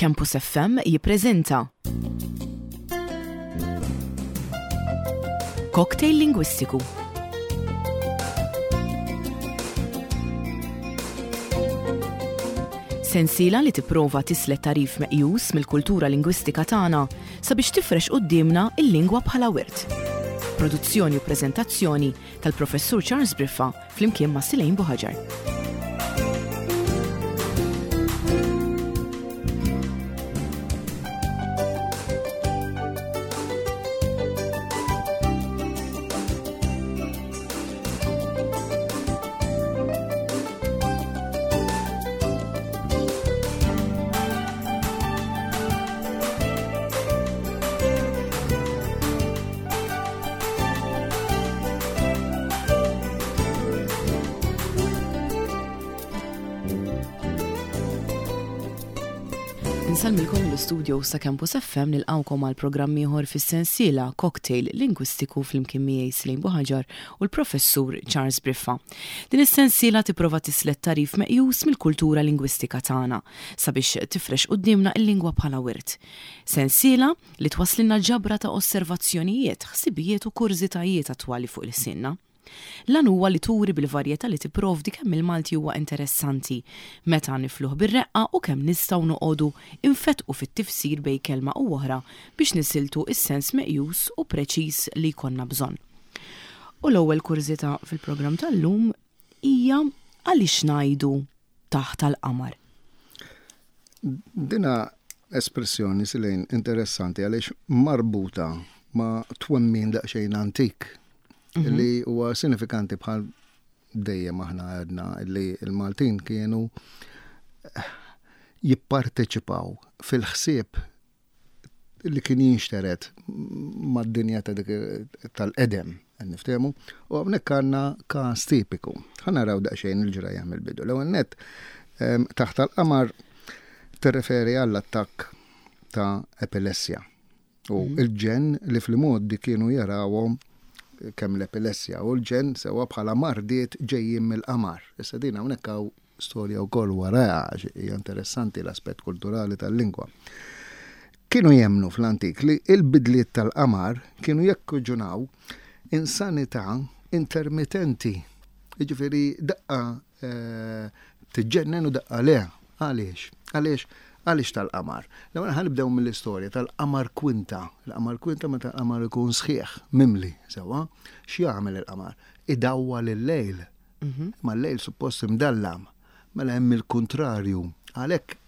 Campus FM jippreżenta Cocktail Lingwistiku. Sensiela li tipprova tislet tagħrif meqjus mill-kultura lingwistika tagħna sabiex tifrex quddiemna l-lingwa bħala wirt. Produzzjoni u preżentazzjoni tal-Professur Charles Briffa flimkien ma' Silejn Buħaġar. Insellmilkom mill-istudio sa Campus FM nilqawkom għal programm ieħor fis-sensiela Cocktail Lingwistiku flimkien miegħi Slim Buħaġar u l-Professur Charles Briffa. Din is-sensiela tipprova tislet tagħrif meqjus mill-kultura lingwistika tagħna sabiex tifrex quddiemna l-lingwa bħala wirt. Sensiela li twasslilna ġabra ta' osservazzjonijiet, ħsibijiet u kurżitajiet attwali fuq ilsienna. L-għan huwa li turi bil-varjetà li tipprovdi kemm il-Malti huwa interessanti meta nifluh bir-reqqa u kemm nistgħu noqogħdu nfettqu fit-tifsir bejn kelma u oħra biex nisiltu s-sens meqjus u preċiż li jkollna bżonn. U l-ewwel kurżità fil-programm tal-lum hija għaliex ngħidu taħt għall-qamar? Dina espressjoni silejn interessanti għaliex marbuta ma' twemmin daqsxejn antik mhm. li huwa sinifikanti bħal dejjem aħna għedna li l-Maltin kienu eh, jipparteċipaw fil-ħsieb li kien jinxtered mad-dinja ta' dik tal-qedem, niftehmu, u hawnhekk għandna każ tipiku. Ħa naraw daqsxejn il-ġrajja mill-bidu. L-ewwel nett taħt tal-qamar tirreferi għall-attakk ta' epilessja u mhm. il-ġen li fl-modi kienu jarawhom kemm l-epilessja u l-ġen sewa bħala mardiet ġejjin mill-qamar. Issa din hawnhekk hawn Storja wkoll warajha għax hija interessanti l-aspett kulturali tal-lingwa. Kienu jemmnu fl-antik li l-bidliet tal-qamar kienu jekkuġunaw insanità intermitenti. Jiġifieri daqqa eh, tiġġennen u daqqa le. Għaliex? Għaliex? Għaliex tal-qamar? L-ewwel ħa nibdew mill-istorja tal-qamar kwinta. Il-qamar kwinta meta l-qamar ikun sħiħ, mimli, sewwa, x'jagħmel il-qamar? Idawwal il-lejl. Imma l-lejl suppost imdallam. Mela hemm il-kuntrarju. Għalhekk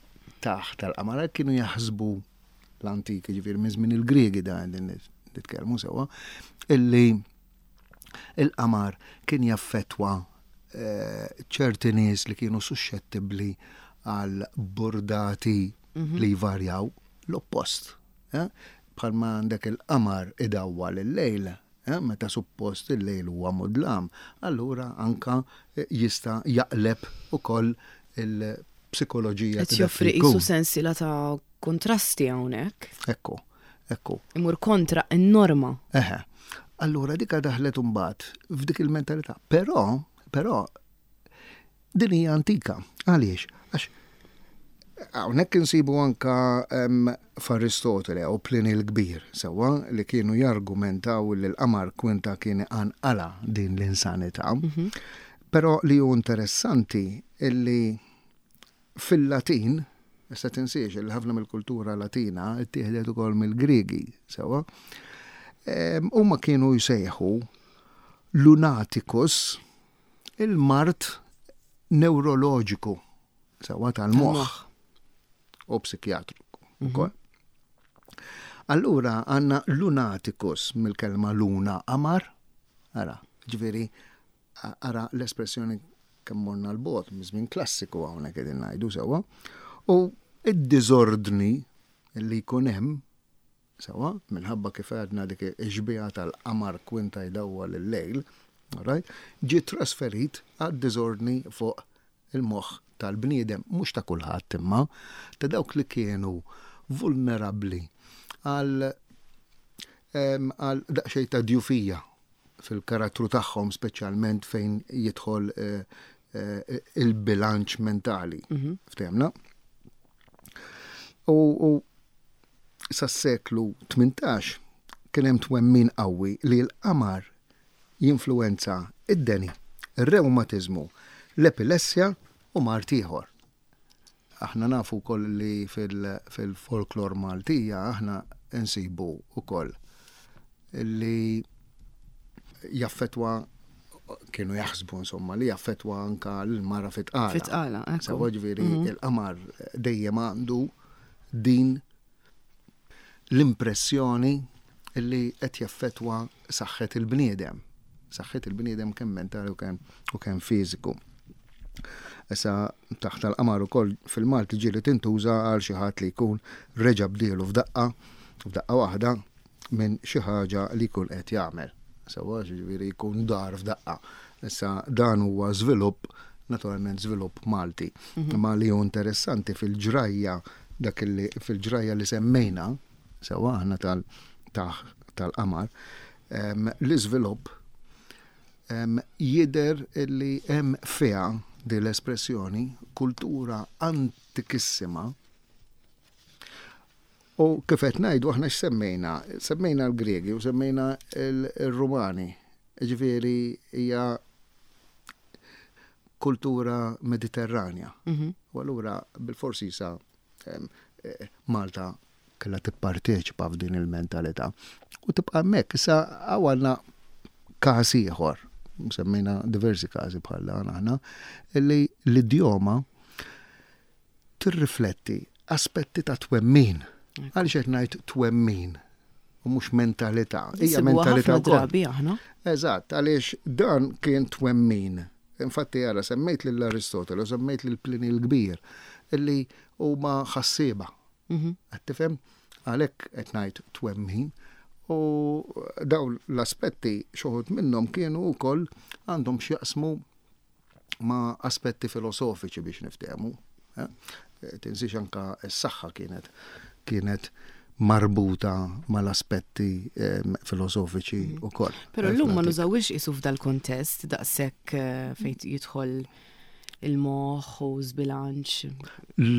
taħt tal-qamar għalhekk kienu jaħsbu l-antiki, ġifieri minn żmien il-Griegi da qegħdin nitkellmu sewwa, illi il-qamar kien jaffettwa eh, ċerti nies li kienu suxxettibbli għal burdati mhm. li jvarjaw l-oppost. Eh? Bħalma għandek il-qamar idawwal il-lejl, Meta suppost il-lejl huwa mudlam, allura anka jista' jaqleb ukoll il-psikoloġija. Qed joffri qisu sensiela ta' kuntrasti hawnhekk. Ekku, ekku. Imur kontra n-norma. Eħe. Allura dika daħlet imbagħad f'dik il-mentalità. Però, però Din hija antika. Għaliex? Għax hawnhekk insibu anka f'Aristotele u Pliny l-Kbir, sewwa li kienu jargumentaw li l-qamar kwinta kien iqanqala din l-insanità. Mhm. Però li hu interessanti illi fil-Latin, issa tinsiex li ħafna mill-kultura Latina ttieħdet ukoll mill-Griegi, sewwa, huma kienu jsejħu lunaticus Il-mard newroloġiku sewwa tal-moħħ u psikjatriku mhm. ukoll. Allura għandna lunaticus mill-kelma luna qamar, ara, ġifieri ara l-espressjoni kemm morna l-bot, minn klassiku hawnhekk qegħdin ngħidu sewwa, u id-diżordni li jkun hemm Sewwa, minħabba kif għedna dik ix-xbieha tal-qamar kwinta jdawwal il-lejl, alright, ġie trasferit għad-diżordni fuq il-moħħ tal-bniedem, mhux ta' kulħadd imma ta' dawk li kienu vulnerabbli għal għal daqsxejn ta' djufija fil-karattru tagħhom speċjalment fejn jidħol eh, eh, il-bilanċ mentali. Mhm. Ftehmna? U sas-seklu 18 kien hemm twemmin qawwi li l-qamar jinfluwenza id-deni, ir-rewmatiżmu, l-epilessja u mard ieħor. Aħna nafu wkoll li fil-folklor Maltija aħna nsibu wkoll li jaffetwa kienu jaħsbu insomma li jaffetwa anka l-mara fit-tqala. Fit-tqala, Sewa ġifieri mhm. il-qamar dejjem għandu din l-impressjoni li qed jaffetwa saħħet il-bniedem. Saħħet il-bniedem kemm mentali u kemm u kemm fiżiku. Issa taħt tal-qamar ukoll fil-Malti ġieli tintuża għal xi ħadd li jkun reġa' bdielu f'daqqa, f'daqqa waħda minn xi ħaġa li jkun qed jagħmel. Sewwa, jiġifieri jkun dar f'daqqa. Issa dan huwa żvilupp, naturalment żvilupp Malti. Mhm. Imma li hu interessanti fil-ġrajja dak li fil-ġrajja li semmejna, sewwa aħna tal-qamar, l-iżvilupp jidher li hemm fiha din l-espressjoni kultura antikissima U kif qed ngħidu aħna x'semmejna? Semmejna l-Griegi u semmejna l-Rumani. Ġifieri hija kultura Mediterranja. Mhm. U allura bil-forsi sa eh, Malta kellha tipparteċipa f'din il-mentalità. U tibqa' hemmhekk. Issa għandna każ ieħor, semmejna diversi każi bħal dan aħna, li l-idjoma tirrifletti aspetti ta' twemmin. Għaliex qed ngħid twemmin u mhux mentalità. Hija mentalità drabi aħna. Eżatt, għaliex dan kien twemmin. Infatti ara semmejt lil Aristotele u semmejt lil Pliny l-Kbir illi huma ħassieba. Mhm. Qed tifhem? Għalhekk qed ngħid twemmin. U dawn l-aspetti xi minnhom kienu wkoll għandhom x'jaqsmu ma' aspetti filosofiċi biex niftehmu. Eh? Tinsiex anka s-saħħa kienet kienet marbuta mal-aspetti ehm, filosofiċi mm. ukoll. Però llum ma nużawix isu f'dal-kontest daqshekk eh, fejn jidħol il-moħħ u żbilanċ.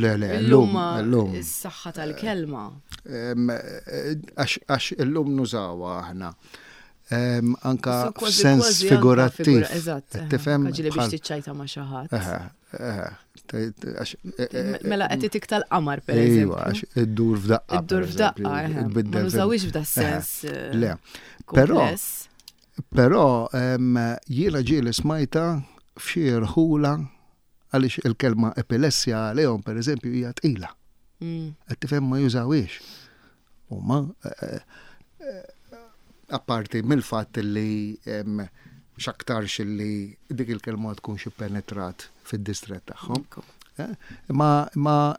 Le, le, llum. Llum. Is-saħħa tal-kelma. Ehm, eh, għax illum nużawha aħna anka f'sens figurattiv. Eżatt. Tifhem? Ġieli biex tiċċajta ma' xi ħadd. E, e, mela qed itik tal-qamar pereżempju. Iva, għax iddur f'daqqa. Iddur f'daqqa, ma nużawix f'da sens. Eh, le. Però però jiena ġieli smajta f'xi rħula għaliex il-kelma epilessja għalihom pereżempju hija tqila. Mm. Qed tifhem ma jużawhiex. Huma eh, eh, apparti mill-fatt li x'aktarx li dik il-kelma tkunx ippenetrat fid-distrett tagħhom. Eh, ma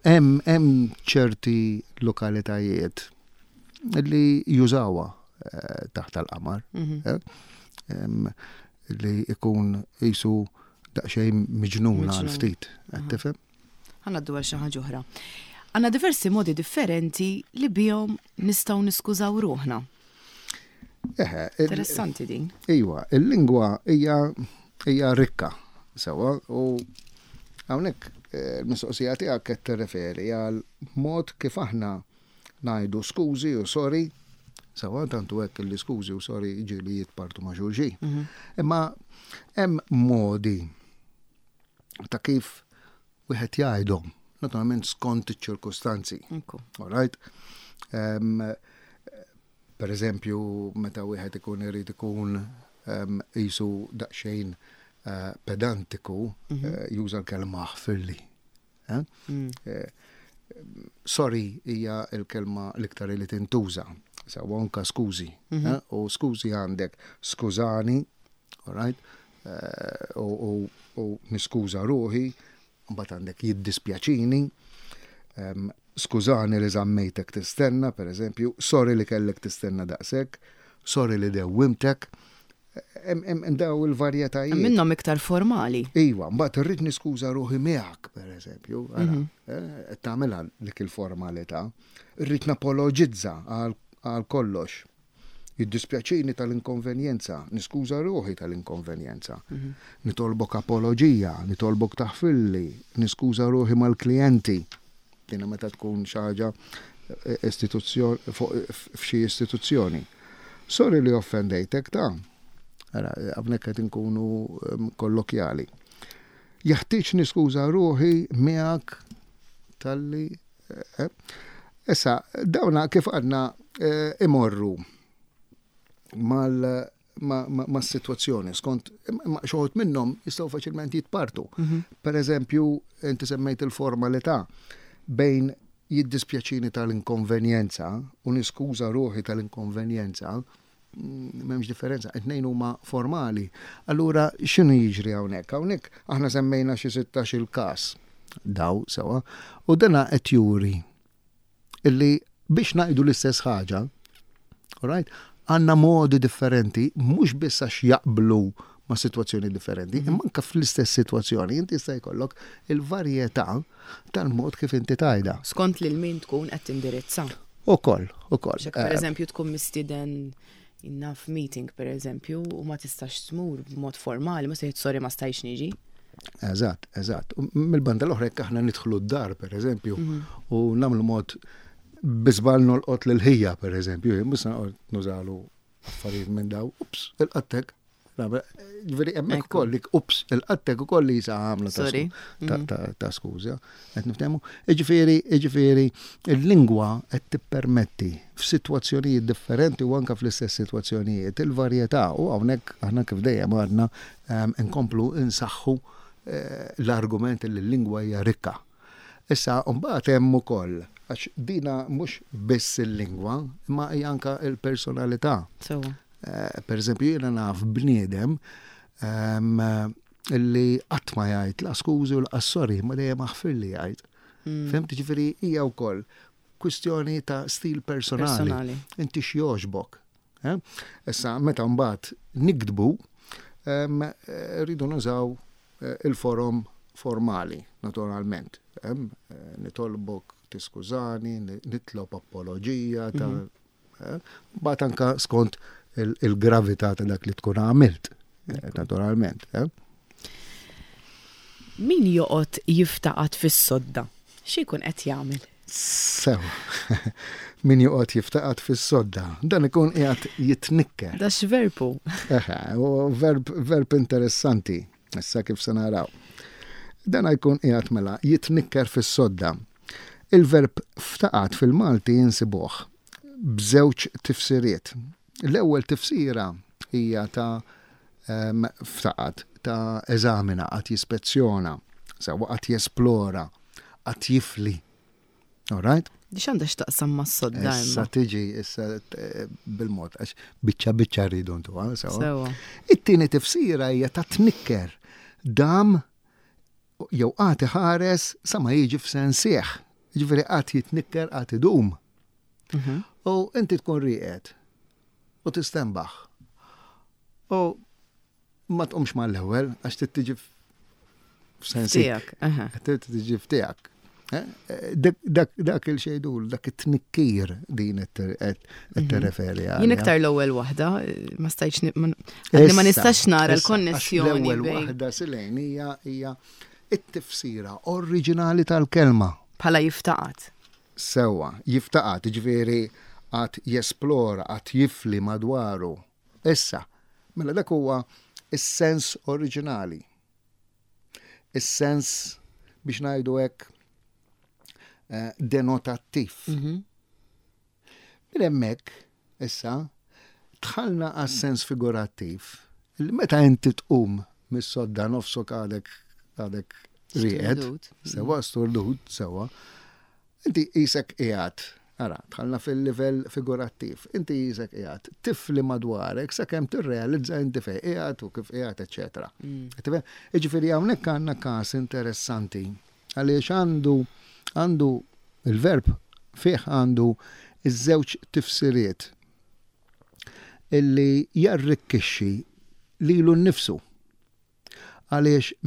hemm hemm ċerti lokalitajiet li jużawha taħt tal-qamar. Mhm. Li ikun jisu daqsxejn miġnuna għal ftit, qed tifhem? Ħa ngħaddu għal xi ħaġa oħra. Għandna diversi modi differenti li bihom nistgħu niskużaw ruħna. Eħe. Interessanti din. Iwa, il-lingwa hija hija rikka sewa u hawnhekk eh, l-mistoqsija tiegħek qed tirreferi għal mod kif aħna ngħidu skużi u sorry, sewa tantu hekk li skużi u sorry ġieli jitpartu ma' xulxin. Mhm. Imma hemm modi ta' kif wieħed jgħidhom, naturalment skont iċ-ċirkustanzi. All right? Um, per eżempju, meta wieħed ikun irid ikun qisu daqsxejn uh, pedantiku, mm -hmm. uh, juża l-kelma ħfirli. Eh? Mm. Eh, sorry hija l-kelma l-iktar li tintuża. Sawa anka skużi. Mm -hmm. U skużi għandek skużani, all right? U niskuża ruħi, mbagħad għandek jiddispjaċini, skużani li żammejtek tistenna, per eżempju, sorry li kellek tistenna daqshekk, sorry li dewwimtek, hemm daw il-varjetajiet. Minnhom iktar formali. Iva, mbagħad irrid niskuża ruħi miegħek, per eżempju, mhm. eh, tagħmilha dik il-formalità. Irrid napologizza għal kollox. Jiddispjaċini tal-inkonvenjenza, niskuża ruħi tal-inkonvenjenza. Mhm. Nitolbok apoloġija, nitolbok taħfilli, niskuża ruħi mal-klijenti. Dina meta tkun xi ħaġa eh, istituzzjoni f'xi istituzzjoni. Sorry li offendejtek ta' Ara, hawnhekk qed inkunu ehm, kollokjali. Jeħtieġ niskuża ruħi miegħek talli eh, Issa, dawna kif għadna eh, imorru mal ma' situazzjoni, skont xoħut minnhom jistgħu faċilment jitpartu. Mhm. Per eżempju, inti semmejt il-formalità bejn jiddispjaċini tal-inkonvenjenza u niskuża ruħi tal-inkonvenjenza, mm, m'hemmx differenza, it-tnejn huma formali. Allura x'inhu jiġri hawnhekk? Hawnhekk aħna semmejna xi 16 il-każ daw sewa u dana qed juri illi biex ngħidu l-istess ħaġa, alright, għandna modi differenti, mhux biss għax jaqblu ma' situazzjoni differenti, mhm. imma anke fl-istess situazzjoni inti jista' jkollok il-varjetà tal-mod kif inti tajda. Skont lil min tkun qed tindirizza. Ukoll, ukoll. Per eh, eżempju tkun mistieden naf meeting per eżempju u ma tistax tmur b'mod formali, ma se sorry ma stajx niġi. Eżatt, eżatt. Mill-banda l-oħra jekk aħna nidħlu d-dar per eżempju mhm. u nagħmlu mod biżbal nolqot lil ħija per eżempju, mhux nużalu affarijiet minn daw, ups, il-qattek. Ġifieri hemmhekk ukoll dik ups, il-qattek ukoll li jisa għamla mhm. ta' skuża, qed niftehmu. Jiġifieri, jiġifieri il-lingwa qed tippermetti f'sitwazzjonijiet differenti u anke fl-istess sitwazzjonijiet il-varjetà u hawnhekk aħna kif dejjem għadna nkomplu nsaħħu eh, l-argument li l-lingwa hija rikka. Issa mbagħad hemm ukoll għax dina mhux biss il-lingwa, imma hija anke l-personalità. Eh, per eżempju, jiena naf bniedem ehm, li qatt ma jgħid la skużi u la sorry, ma dejjem aħfir li jgħid. Mm. Fhimt ġifieri hija wkoll kwistjoni ta' stil personali. Inti x'jogħġbok. Eh? Issa meta mbagħad nikdbu ehm, rridu nużaw eh, il-forom formali, naturalment. Ehm, nitolbok tiskużani, nitlob apoloġija ta' mhm. Eh, Bat anka skont il-gravità ta' dak li tkun għamilt, eh, naturalment. Eh. Min joqgħod jiftaqat fis-sodda, xi jkun qed jagħmel? Sew, min joqgħod jiftaqat fis-sodda, dan ikun qiegħed jitnikker. Da x'verbu? Eħe, verb, verb interessanti, issa kif se naraw. Dan jkun qiegħed mela jitnikker fis-sodda. Il-verb ftaqat fil-Malti insibuh b'żewġ tifsiriet. L-ewwel tifsira hija ta' ftaqat, ta' eżamina, qagħad jispezzjona, sewwa qagħad jesplora, qagħad jifli. All right? Di x'għandha x'taqsam mas-sodda Issa tiġi issa eh, bil-mod għax biċċa biċċa rridu ntuha, sewwa. It-tieni tifsira hija ta' tnikker. Dam jew qagħad iħares sa ma jiġi f'sensih. Jiġifieri qagħad jitnikker qagħad idum. Mhm. U inti tkun rieqed u tistenbaħ. U ma tqumx mal-ewwel għax trid tiġi f'sensik. Trid tiġi f'tiegħek. Eh, dak il-xejdul, dak it-tnikkir din qed mhm. tirreferi għal. Jien iktar l-ewwel waħda, ma stajtx ma nistax nara l-konnessjoni. L-ewwel waħda silejn hija hija it-tifsira oriġinali tal-kelma. Bħala jiftaqat. Sewwa, jiftaqat, ġifieri għad jesplora, għad jifli madwaru. Issa, mela dak huwa is-sens oriġinali. Is-sens biex ngħidu hekk eh, denotattiv. Mhm. Minn hemmhekk issa dħalna għas-sens figurattiv li meta inti tqum mis-sodda nofsok għadek għadek rieqed, sewa sturdut, sewa, Inti qisek qiegħed, ara, dħalna fil-livell figurattiv, inti qisek qiegħed tifli madwarek sakemm tirrealizza inti fejn qiegħed u kif qiegħed, eċċetera. Mm. Jiġifieri hawnhekk għandna każ interessanti għaliex għandu għandu il-verb fih għandu iż-żewġ tifsiriet illi jarrikkixxi lilu nnifsu. Għaliex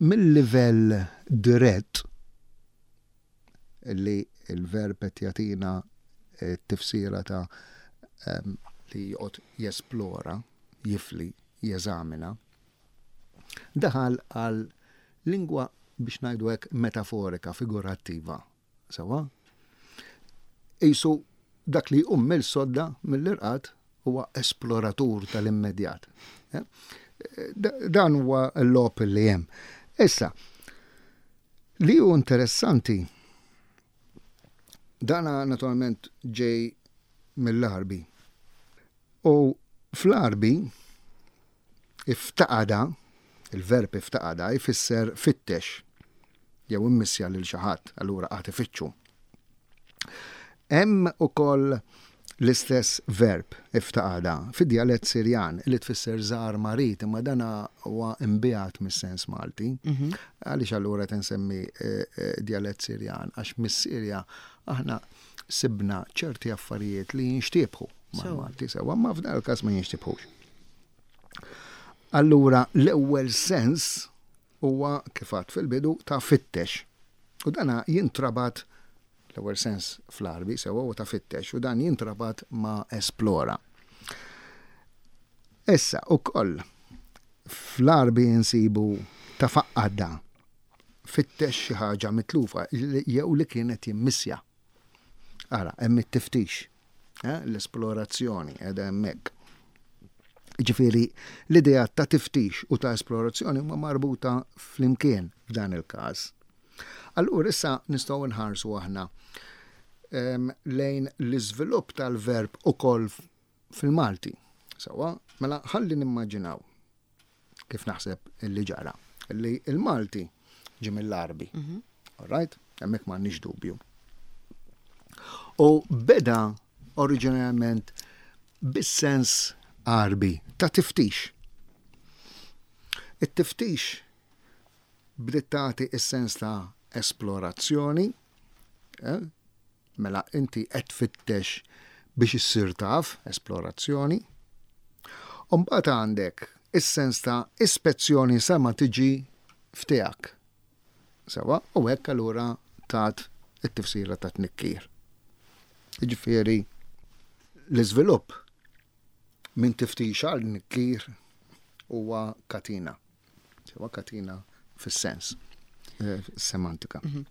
mill-livell dirett li l-verb qed jagħtina t-tifsira ta' li joqgħod jesplora, jifli, jeżamina, daħal għal lingwa biex ngħidu hekk metaforika, figurattiva. Sewwa? Qisu dak li jqum mill-sodda mill-irqad huwa esploratur tal-immedjat. Eh? Dan huwa l-logħob li hemm. Issa, li hu interessanti, dana naturalment ġej mill-Għarbi. U fl-Għarbi iftaqada, il-verb iftaqada jfisser fittex jew immissja lil xi ħadd, allura qagħad ifittxu. Hemm ukoll l-istess verb iftaqada fid-djalett Sirjan li tfisser żar marid, imma dan huwa imbiegħed mis-sens Malti. Mhm. Għaliex allura qed insemmi eh, eh, djalett Sirjan? Għax mis-Sirja aħna sibna ċerti affarijiet li jinxtiebħu mal-Malti sewa, ma f'dan il-każ ma jinxtibħux. Allura l-ewwel sens huwa kif għadt fil-bidu ta' fittex. U dana jintrabat l-ewwel sens fl-Għarbi sewa huwa ta' fittex u dan jintrabat ma' esplora. Issa ukoll fl-Għarbi insibu ta' faqqadda fittex xi ħaġa mitlufa jew li kienet jimmissja. Ara, hemm it-tiftix, eh, l-esplorazzjoni qiegħda hemmhekk. Ġifieri l-idea ta' tiftix u ta' esplorazzjoni huma marbuta flimkien f'dan il-każ. Allura issa nistgħu nħarsu aħna ehm, lejn l-iżvilupp tal-verb ukoll fil-Malti. Sawa, mela ħalli nimmaġinaw kif naħseb li ġara, li il-Malti ġie mill-Għarbi. Mhm. All right? Hemmhekk m'għandniex dubju. U beda oriġinarjament bis-sens Għarbi ta' tiftix. It-tiftix bdiet tagħti is-sens ta' esplorazzjoni, eh? Mela inti qed tfittex biex issir taf, esplorazzjoni. U mbagħad għandek is-sens ta' ispezzjoni sa ma tiġi f'tiegħek. Sewwa, u hekk allura tat it-tifsira ta' tnikkir. Jiġifieri l-iżvilupp minn tiftix għal tnikkir huwa katina. Sewa katina fis-sens, eh, semantika. Mhm.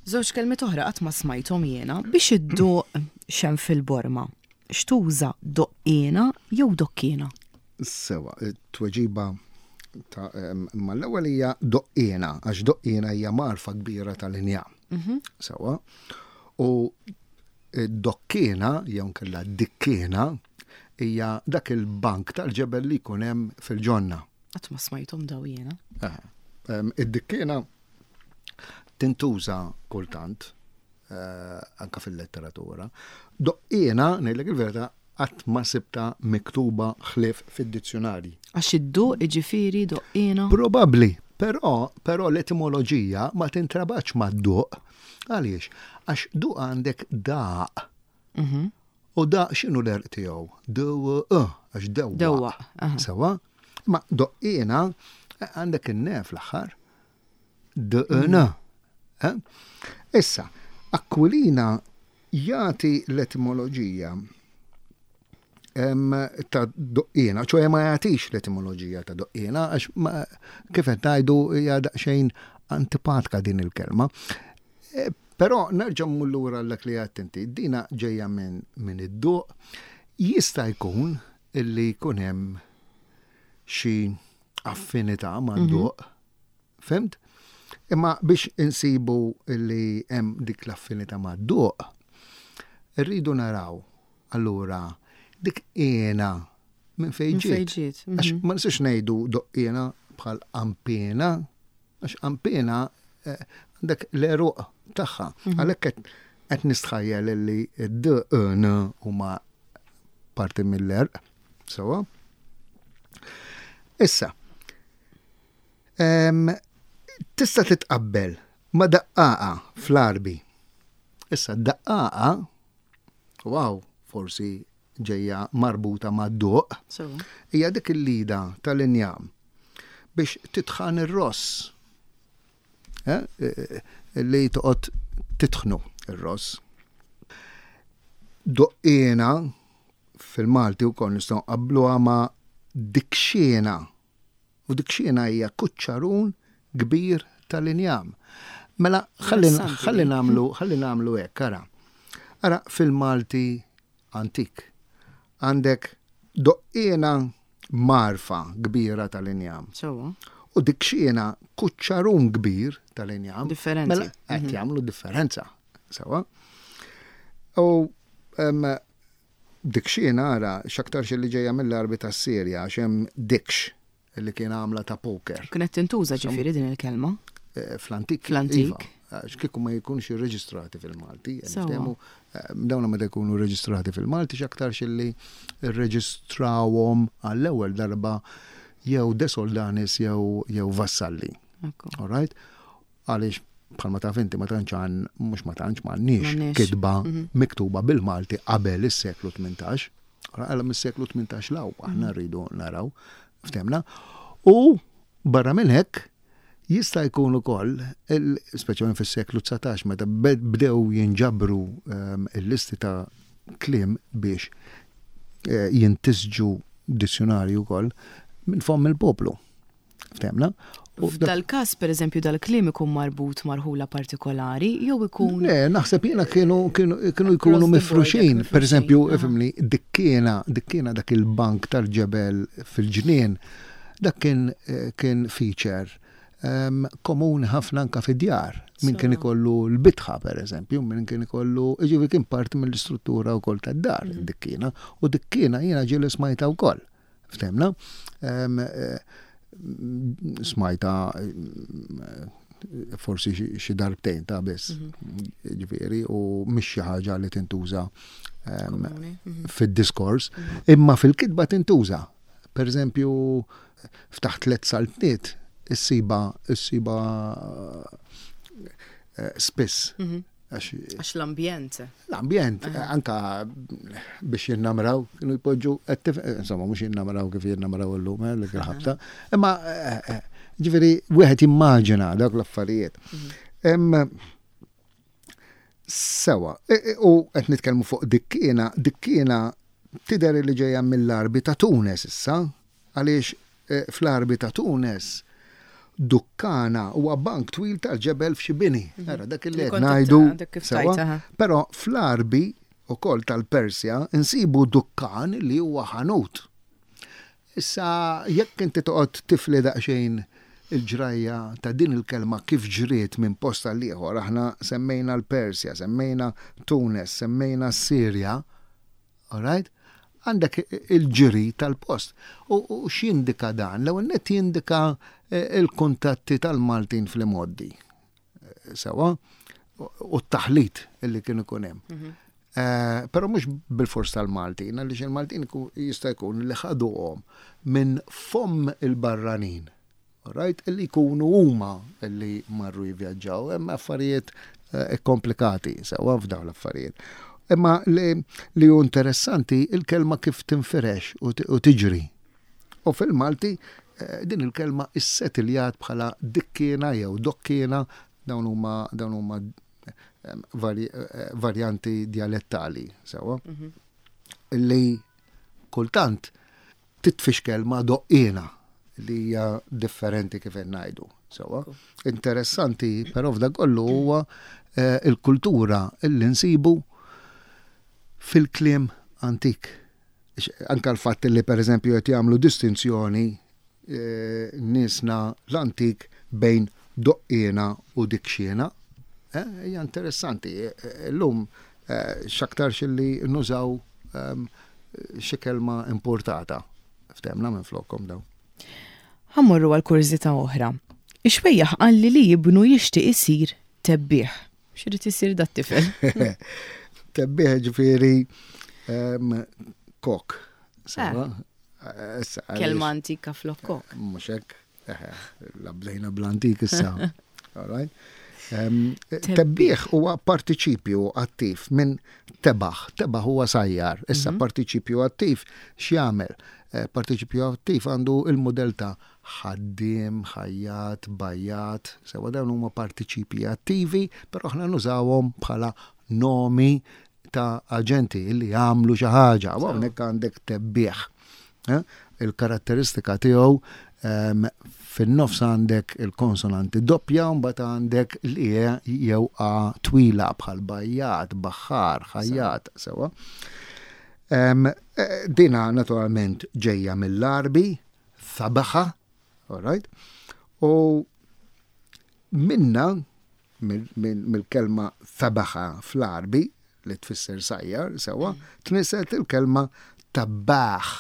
Żewġ kelmiet oħra qatt ma smajthom jiena biex idduq xem fil-borma. X'tuża doqqiena jew dokkiena? Sewa, tweġiba ta' ma l-ewwel hija doqqiena, għax doqqiena hija marfa kbira tal-injam. Mhm. Sewa. U dokkiena jew nkella dikkiena hija dak il-bank tal-ġebel li jkun hemm fil-ġonna. Qatt ma smajthom daw jiena. Id-dikkiena tintuża kultant eh, anka fil-letteratura. Doqqiena, ngħidlek il-verità, qatt ma sibta miktuba ħlief fid-dizzjonarji. Għax id-duq iġifieri doqqiena? Probabbli, però però l-etimoloġija ma tintrabatx mad-duq. Għaliex? Għax duq għandek daq. Mhm. U daq x'inhu l-għerq tiegħu? D-W-E, għax dewwaq. Dewwaq, aha. Sewwa? Ma doqqiena eh, għandek in-ne fl-aħħar. D-N. Eh? Issa, Aquilina jagħti l-etimoloġija ta' doqqiena, ċoħe ma jagħtix l-etimoloġija ta' doqqiena, għax kif qed ngħidu hija daqsxejn antipatka din il-kelma. E, però nerġa' mmur lura dak li għedt inti, dina ġejja minn min id-duq, jista' jkun illi jkun hemm xi affinità mad-duq, mhm. Fimt? Imma biex insibu li hemm dik l-affinità mad-duq, irridu naraw allura dik qiena minn fejn ġiet. Għax mhm. ma nistax ngħidu doqqiena bħal qampiena, għax qampiena eh, għandek l-eruq tagħha. Mhm. Għalhekk qed nistħajjel li d n huma parti mill-erq. Sewa. Issa, Tista' titqabbel ma' daqqaqa fl-Għarbi. Issa daqqaqa, wow, forsi ġejja marbuta ma' duq, hija dik il-lida tal-injam biex titħan ir-ross. Eh, eh, li toqgħod titħnu ir-ross. Doqqina fil-Malti wkoll nistgħu nqabbluha ma' dikxiena U dik xiena hija kuċċarun kbir tal-injam. Mela, ħalli nagħmlu ħalli nagħmlu hekk, ara. Ara fil-Malti antik. Għandek doqqiena marfa kbira tal-injam. Sewwa. U dikxiena kuċċarun kbir tal-injam. Differenti. Mela, qed mhm. jagħmlu differenza. Sewwa. U dikxiena ara x'aktarx li ġejja mill-Arbi tas-Sirja għax hemm dikx li kien għamla ta' poker. Kienet tintuża ġifieri din il-kelma? Eh, fl-antik. Fl-antik. Iva, għax kieku ma jkunx irreġistrati fil-Malti. Niftehmu, eh, dawna meta jkunu rreġistrati fil-Malti x'aktarx li rreġistrawhom għall-ewwel darba jew De Soldanis jew jew Vassalli. All right? Għaliex bħalma taf inti ma tantx għan mhux ma tantx m'għandniex kitba mhm. miktuba bil-Malti qabel is-seklu 18. Għala mis-seklu 18 law aħna mhm. rridu naraw ftemna. U barra minn hekk jista' jkun ukoll, speċjalment fis-seklu 19 meta bdew jinġabru ehm, il-listi ta' kliem biex eh, jintisġu dizzjonarju wkoll minn fomm il-poplu. Ftemna? F'dal-każ, pereżempju, dal-kliem ikun marbut ma' rħula partikolari jew ikun. Le, naħseb jiena kienu kienu jkunu mifruxin. Pereżempju, ifhimni, dikkiena, dikkiena dak il-bank tal-ġebel fil-ġnien, dak kien kien feature ehm, komuni ħafna anka fid-djar. Min kien ikollu l-bitħa, pereżempju, min kien ikollu, jiġifieri kien parti mill-istruttura wkoll tad-dar, mhm. dikkiena, u dikkiena jiena ġieli smajta wkoll. Ftemna? Eh, smajta eh, forsi xi darbtejn ta' biss. Mhm. Ġifieri, u mhix xi ħaġa li tintuża mhm. fid-diskors, mhm. imma fil-kitba tintuża. Per eżempju, ftaħ tlet saltniet, issiba issiba eh, spiss. Għax l-ambjent. L-ambjent, anka biex jinnamraw, kienu jpoġġu, insomma, mhux jinnamraw kif jinnamraw illum, eh, dik il-ħabta. Imma, eh, eh, ġifieri, wieħed jimmaġina dawk l-affarijiet. Mhm. Sewa, u qed nitkellmu fuq dikkiena, dikkiena tidher li ġejja mill-Arbi ta' Tunes issa, Għaliex fl-Għarbi ta' Tunes, dukkana huwa bank twil tal-ġebel f'xi bini. Mhm. Ara dak li qed ngħidu. Però fl-Għarbi ukoll tal-Persja nsibu dukkan li huwa ħanut. Issa jekk inti toqgħod tifli daqsxejn il-ġrajja ta' din il-kelma kif ġriet minn post għal ieħor, aħna semmejna l-Persja, semmejna Tunes, semmejna s-Sirja, Alright? Għandek il-ġiri tal-post. U x'jindika dan? L-ewwel nett jindika eh, il-kuntatti tal-Maltin fl-imgħoddi. Eh, sewa, u t-taħlit illi kien ikun hemm. Mhm. Eh, però mhux bil-fors tal-Maltin, għaliex il-Maltin jista' jkun li ħaduhom minn fomm il-barranin. Right? Illi jkunu huma illi marru jivvjaġġaw, hemm affarijiet eh, komplikati sewwa f'dawn l-affarijiet. Imma li, li hu interessanti il-kelma kif tinfirex u tiġri. U fil-Malti eh, din il-kelma issetiljat bħala dikkiena jew dokkiena dawn huma dawn huma eh, varjanti dialettali sewwa. Mhm. Li kultant titfixkel ma' doqqiena li hija differenti kif qed ngħidu. Sewwa. Interessanti però f'dak kollu huwa eh, il-kultura li nsibu fil-kliem antik. Anka l-fatt li pereżempju qed jagħmlu distinzjoni eh, niesna l-antik bejn doqqiena u dikxiena. Eh, hija interessanti. Illum x'aktarx li nużaw ehm, xi kelma importata. Ftemna minn flokkom daw. Ħa mmorru għal kurżità oħra. Ix-xwejjaħ qalli li ibnu jixtieq isir tebbiegħ. X'irid isir dat-tifel? Tebbiegħ ġifieri ehm, kok. Sewa? Eh. Kelma antika flok kok. Mhux hekk. La bdejna bl-antik issa. All right. Tebbiħ huwa partiċipju attiv minn tebaħ. Tebaħ huwa sajjar. Issa mhm. partiċipju attiv x'jagħmel? Eh, partiċipju attiv għandu il-modell ta' ħaddiem, ħajjat, bajjat, sewa dawn huma partiċipji attivi, però aħna nużawhom bħala nomi ta' aġenti li jagħmlu xi ħaġa. U hawnhekk għandek tebbiħ. Eh, il-karatteristika tiegħu ehm, Fin-nofs għandek il-konsonanti doppja u mbagħad għandek l-e jew a twila bħal bajjat, baħħar, ħajjat, sewwa. Dina naturalment ġejja mill-Għarbi, thabaħa, all right? U minna mill-kelma thabaħa fl-Għarbi li tfisser sajjar, sewwa, tnisset il-kelma tabbaħ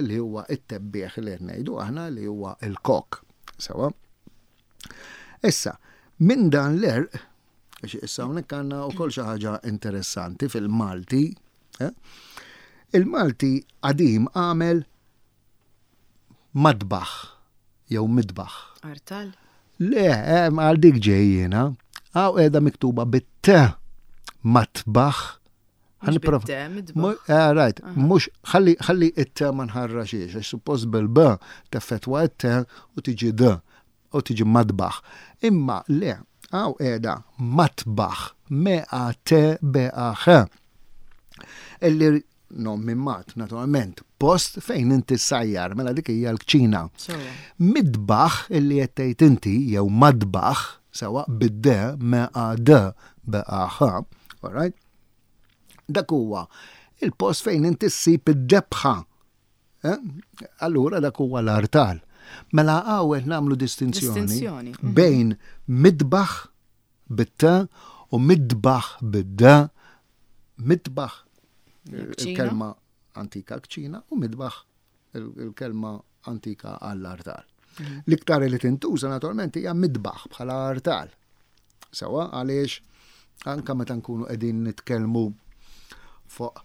li huwa it-tebbieħ li qed ngħidu aħna li huwa il-kok, sewwa. Issa, minn dan l-erq, għax issa hawnhekk għandna wkoll xi ħaġa interessanti fil-Malti, eh? Il-Malti qadim għamel madbaħ jew midbaħ. Artal? Le, eh, għal dik ġej jiena. Għaw qiegħda miktuba bit-t matbaħ. Eh, right, mux ħalli ħalli it-t ma nħarraxiex, għax suppost bil-b teffettwa it-t u tiġi d u tiġi madbaħ. Imma le, għaw qiegħda matbaħ, me a t b a h. Illi nom minn mat, naturalment, post fejn inti sajjar, mela dik hija l-kċina. Midbaħ illi qed tgħid inti jew madbaħ, sewa bid-d me a d b a h, all right? Dak huwa il-post fejn inti ssib id-debħa. Eh? Allura dak huwa l-artal. Mela hawn qed nagħmlu distinzjoni bejn midbaħ bit-t u midbaħ bid-d, midbaħ il-kelma antika kċina u midbaħ il-kelma antika għall-artal. Mhm. L-iktar li tintuża naturalment hija midbaħ bħala artal. Sewa għaliex anka meta nkunu qegħdin nitkellmu fuq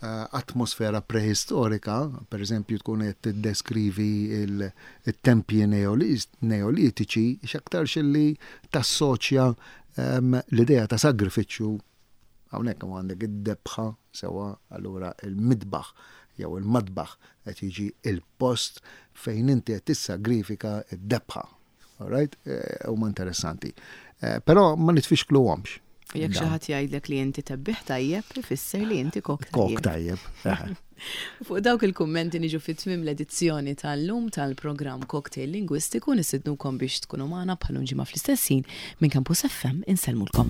eh, atmosfera prehistorika, per eżempju tkun qed tiddeskrivi il-tempji neolitiċi, x'aktarx li tassoċja ehm, l-idea ta' sagrifiċċju hawnhekk għandek id-debħa sewwa allura il-midbaħ jew il-madbaħ qed jiġi il-post fejn inti qed tissagrifika d-debħa. All right? Eh, huma interessanti. Eh, però ma nitfixkluhomx. Jekk xi ħadd jgħidlek li inti tebbiħ tajjeb, ifisser li inti kok tajjeb. Kok tajjeb. Eh. Fuq dawk il-kummenti niġu fit tmiem l-edizzjoni tal-lum tal-programm Cocktail Lingwistiku nistidnukom biex tkunu magħna bħal ġimgħa fl-istess ħin minn Campus FM insellmulkom.